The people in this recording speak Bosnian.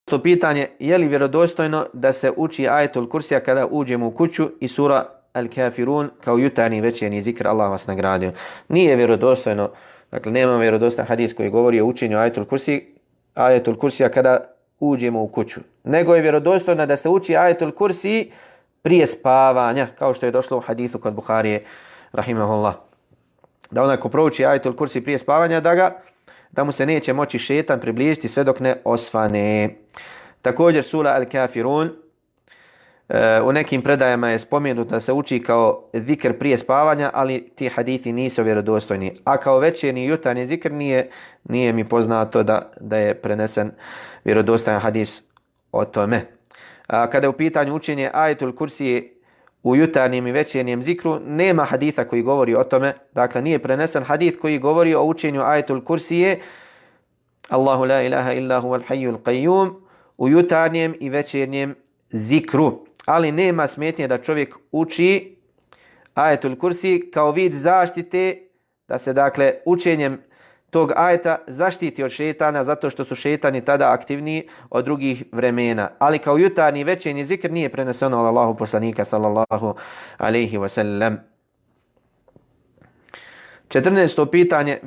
To pitanje, je li vjerodostojno da se uči ajetul kursija kada uđemo u kuću i sura Al-Kafirun kao jutarnji večernji zikr, Allah vas nagradio. Nije vjerodostojno, dakle nema vjerodostojan hadis koji govori o učenju ajetul kursija kada uđemo u kuću. Nego je vjerodostojno da se uči ajetul kursi prije spavanja, kao što je došlo u hadisu kod Buharije, rahimahullah. Da onaj ko prouči ajetul kursi prije spavanja, da mu se neće moći šetan približiti sve dok ne osvane. Također sura Al-Kafirun, u nekim predajama je spomenuto da se uči kao zikr prije spavanja, ali ti hadithi nisu vjerodostojni. A kao večernji i jutarnji zikr nije mi poznato da je prenesen vjerodostojan hadis o tome. Kada je u pitanju učenje ajetul kursije u jutarnjem i večernjem zikru, nema haditha koji govori o tome. Dakle, nije prenesen hadith koji govori o učenju ajetul kursije Allahu la ilaha illa huwal hayyul qayyum u jutarnjem i večernjem zikru. Ali nema smetnje da čovjek uči ajetul kursi kao vid zaštite, da se dakle učenjem tog ajeta zaštiti od šetana, zato što su šetani tada aktivniji od drugih vremena. Ali kao jutarnji i večernji zikr nije preneseno od Allahu poslanika sallallahu alejhi ve sellem. 14. pitanje,